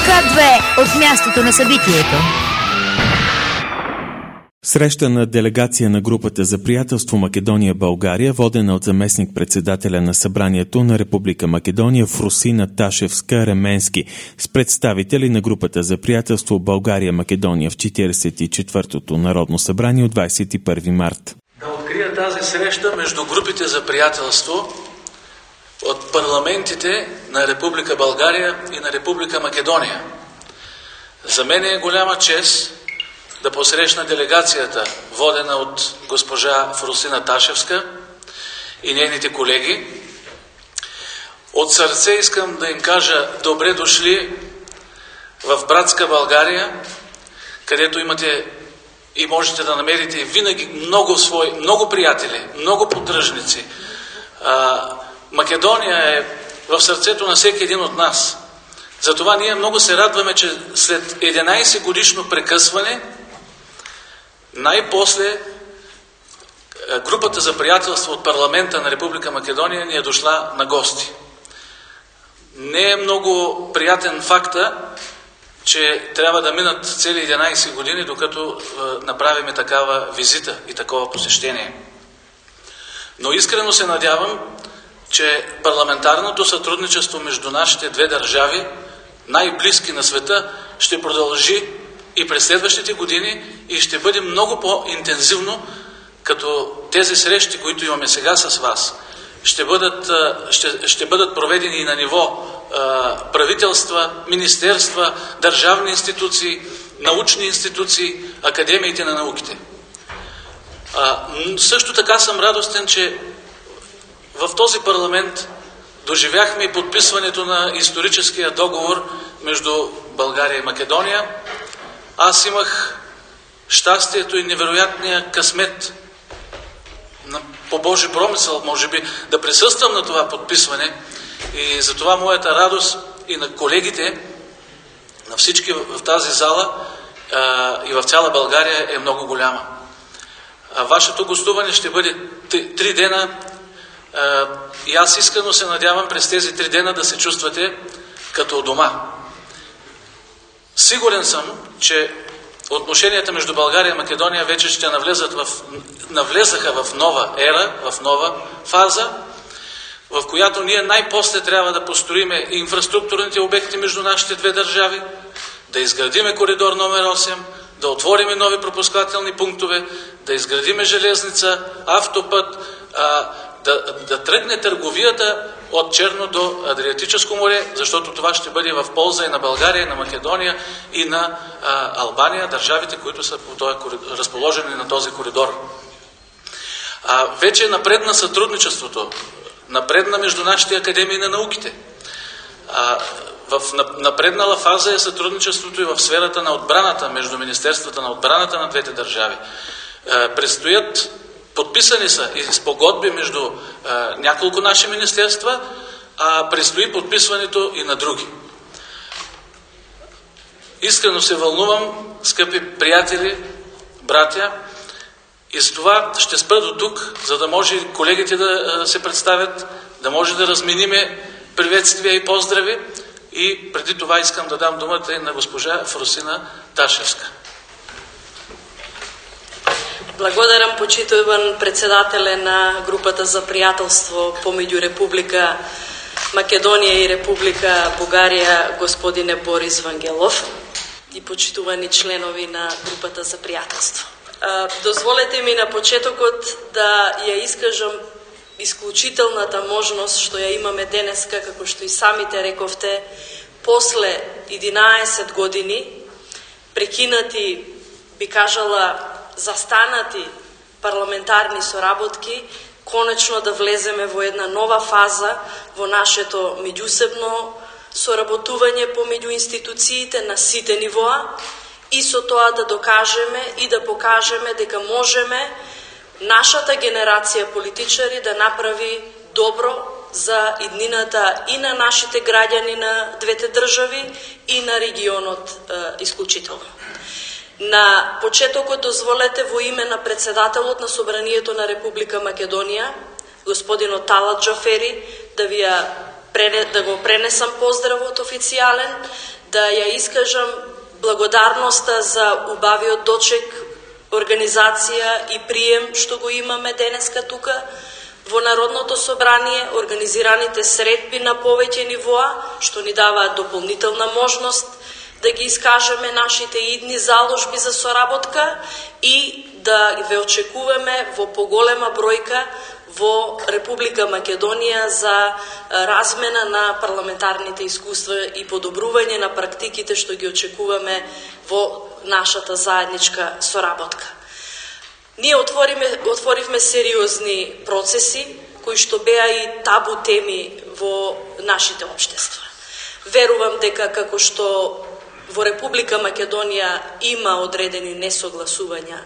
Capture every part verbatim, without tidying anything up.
К две от мястото на събитието. Среща на делегация на групата за приятелство Македония-България, водена от заместник-председателя на събранието на Република Македония Фрусина Ташевска-Ременски с представители на групата за приятелство България-Македония в четиридесет и четвъртото Народно събрание от двадесет и първи март. Да открия тази среща между групите за приятелство от парламентите на Република България и на Република Македония. За мен е голяма чест да посрещна делегацията, водена от госпожа Фрусина Ташевска и нейните колеги. От сърце искам да им кажа добре дошли в братска България, където имате и можете да намерите винаги много свои, много приятели, много поддръжници. А, Македония е в сърцето на всеки един от нас. Затова ние много се радваме, че след единадесет годишно прекъсване най-после групата за приятелство от парламента на Република Македония ни е дошла на гости. Не е много приятен факта, че трябва да минат цели единадесет години, докато е, направим такава визита и такова посещение. Но искрено се надявам, че парламентарното сътрудничество между нашите две държави, най-близки на света, ще продължи и през следващите години и ще бъде много по-интензивно, като тези срещи, които имаме сега с вас, ще бъдат, ще, ще бъдат проведени и на ниво правителства, министерства, държавни институции, научни институции, академиите на науките. А, също така съм радостен, че в този парламент доживяхме и подписването на историческия договор между България и Македония. Аз имах щастието и невероятния късмет по Божи промисъл, може би, да присъствам на това подписване и затова моята радост и на колегите, на всички в тази зала а, и в цяла България е много голяма. А вашето гостуване ще бъде три дена а, и аз искрено се надявам през тези три дена да се чувствате като дома. Сигурен съм, че отношенията между България и Македония вече ще навлезат в, навлезаха в нова ера, в нова фаза, в която ние най-после трябва да построиме инфраструктурните обекти между нашите две държави, да изградиме коридор номер осем, да отвориме нови пропускателни пунктове, да изградиме железница, автопът, а, да, да тръгне търговията от Черно до Адриатическо море, защото това ще бъде в полза и на България, и на Македония, и на а, Албания, държавите, които са по този, разположени на този коридор. А, вече напредна сътрудничеството, напредна между нашите академии на науките. А, в напреднала фаза е сътрудничеството и в сферата на отбраната, между Министерствата на отбраната на двете държави. А, предстоят Подписани са и спогодби между а, няколко наши министерства, а предстои подписването и на други. Искрено се вълнувам, скъпи приятели, братя, и с това ще спра до тук, за да може колегите да се представят, да може да размениме приветствия и поздрави. И преди това искам да дам думата и на госпожа Фрусина Ташевска. Благодарам, почитуван председателе на групата за приятелство помеѓу Република Македонија и Република Бугарија, господине Борис Вангелов, и почитувани членови на групата за приятелство. Дозволете ми на почетокот да ја искажам исклучителната можност што ја имаме денеска, како што и самите рековте, после единаесет години, прекинати, би кажала, застанати парламентарни соработки, конечно да влеземе во една нова фаза во нашето меѓусебно соработување помеѓу институциите на сите нивоа и со тоа да докажеме и да покажеме дека можеме нашата генерација политичари да направи добро за иднината и на нашите граѓани на двете држави и на регионот е, исклучително. На почетокот дозволете во име на председателот на Собранието на Република Македонија, господинот Талат Джафери, да ви ја да го пренесам поздравот официјален, да ја искажам благодарноста за убавиот дочек, организација и прием што го имаме денеска тука во Народното собрание, организираните средби на повеќе нивоа, што ни даваат дополнителна можност да ги искажеме нашите идни заложби за соработка и да ве очекуваме во поголема бројка во Република Македонија за размена на парламентарните искуства и подобрување на практиките што ги очекуваме во нашата заедничка соработка. Ние отвориме, отворивме сериозни процеси кои што беа и табу теми во нашите општества. Верувам дека како што во Република Македонија има одредени несогласувања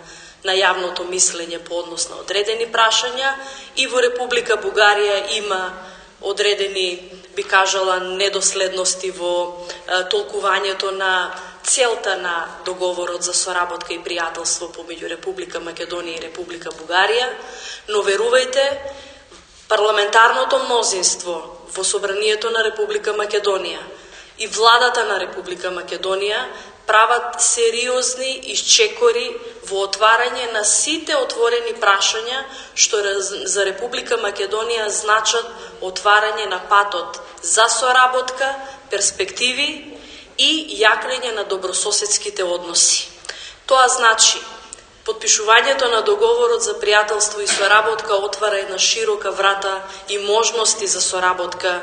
на јавното мислење по однос на одредени прашања, и во Република Бугарија има одредени, би кажала, недоследности во е, толкувањето на целта на договорот за соработка и пријателство помеѓу Република Македонија и Република Бугарија, но верувајте, парламентарното мнозинство во собранието на Република Македонија и владата на Република Македонија прават сериозни исчекори во отварање на сите отворени прашања што за Република Македонија значат отварање на патот за соработка, перспективи и јакнење на добрососедските односи. Тоа значи потпишувањето на договорот за пријателство и соработка отвара една широка врата и можности за соработка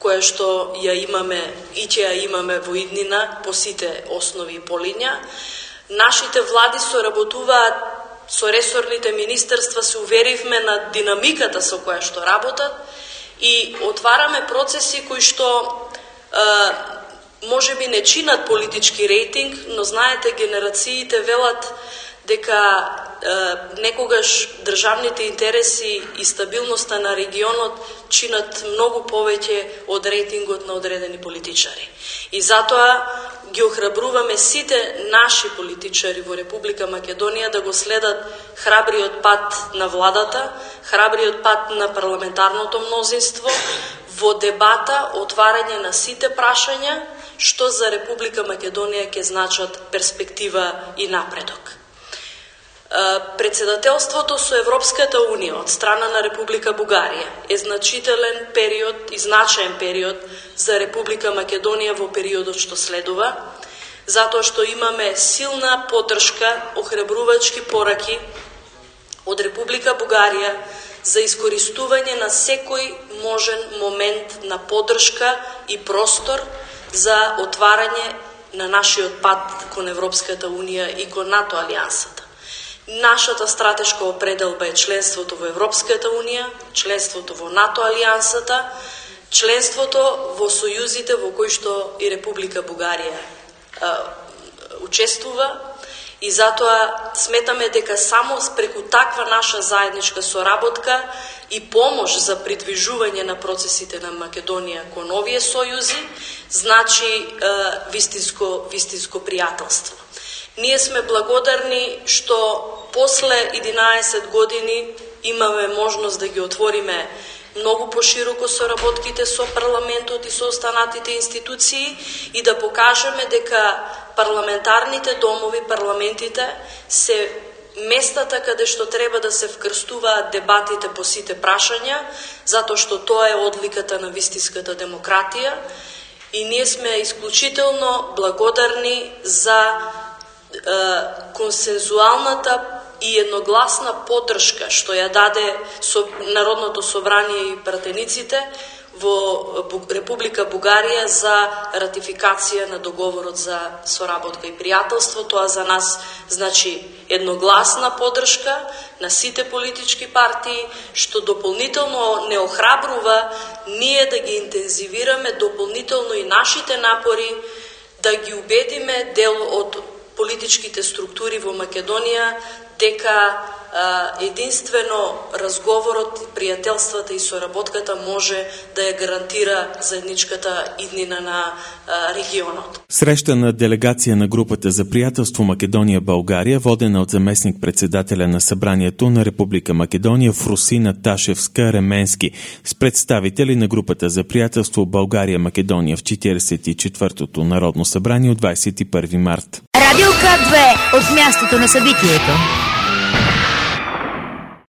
која што ја имаме и ќе ја имаме во иднина по сите основи и полиња. Нашите влади соработуваат со ресорните министерства, се уверивме на динамиката со која што работат и отвараме процеси кои што е, може би не чинат политички рейтинг, но знаете, генерациите велат дека е, некогаш државните интереси и стабилноста на регионот чинат многу повеќе од рейтингот на одредени политичари. И затоа ги охрабруваме сите наши политичари во Република Македонија да го следат храбриот пат на владата, храбриот пат на парламентарното мнозинство во дебата, отварање на сите прашања што за Република Македонија ќе значат перспектива и напредок. Председателството со Европската Унија од страна на Република Бугарија е значителен период и значаен период за Република Македонија во периодот што следува, затоа што имаме силна поддршка, охрабрувачки пораки од Република Бугарија за искористување на секој можен момент на поддршка и простор за отварање на нашиот пат кон Европската Унија и кон НАТО алијансата. Нашата стратешка определба е членството во Европската Унија, членството во НАТО алијансата, членството во сојузите во кои што и Република Бугарија е, учествува, и затоа сметаме дека само преку таква наша заедничка соработка и помош за придвижување на процесите на Македонија кон овие сојузи значи е, вистинско, вистинско пријателство. Ние сме благодарни што после единаесет години имаме можност да ги отвориме многу пошироко соработките со парламентот и со останатите институции и да покажеме дека парламентарните домови, парламентите се местата каде што треба да се вкрстуваат дебатите по сите прашања, затоа што тоа е одликата на вистинската демократија и ние сме исклучително благодарни за консензуалната и едногласна поддршка што ја даде со Народното собрание и пратениците во Република Бугарија за ратификација на договорот за соработка и пријателство. Тоа за нас значи едногласна поддршка на сите политички партии, што дополнително не охрабрува ние да ги интензивираме дополнително и нашите напори да ги убедиме дел од политичките структури во Македонија дека единствено разговорот, пријателствата и соработката може да ја гарантира заедничката иднина на регионот. Среща на делегација на групата за пријателство Македонија-Българија, водена од заместник председателя на Събранието на Република Македонија Фрусина Ташевска-Ременски с представители на групата за пријателство Българија-Македонија в четиридесет и четвртото Народно събрание от двадесет и първи март. Радио К две от мястото на събитието.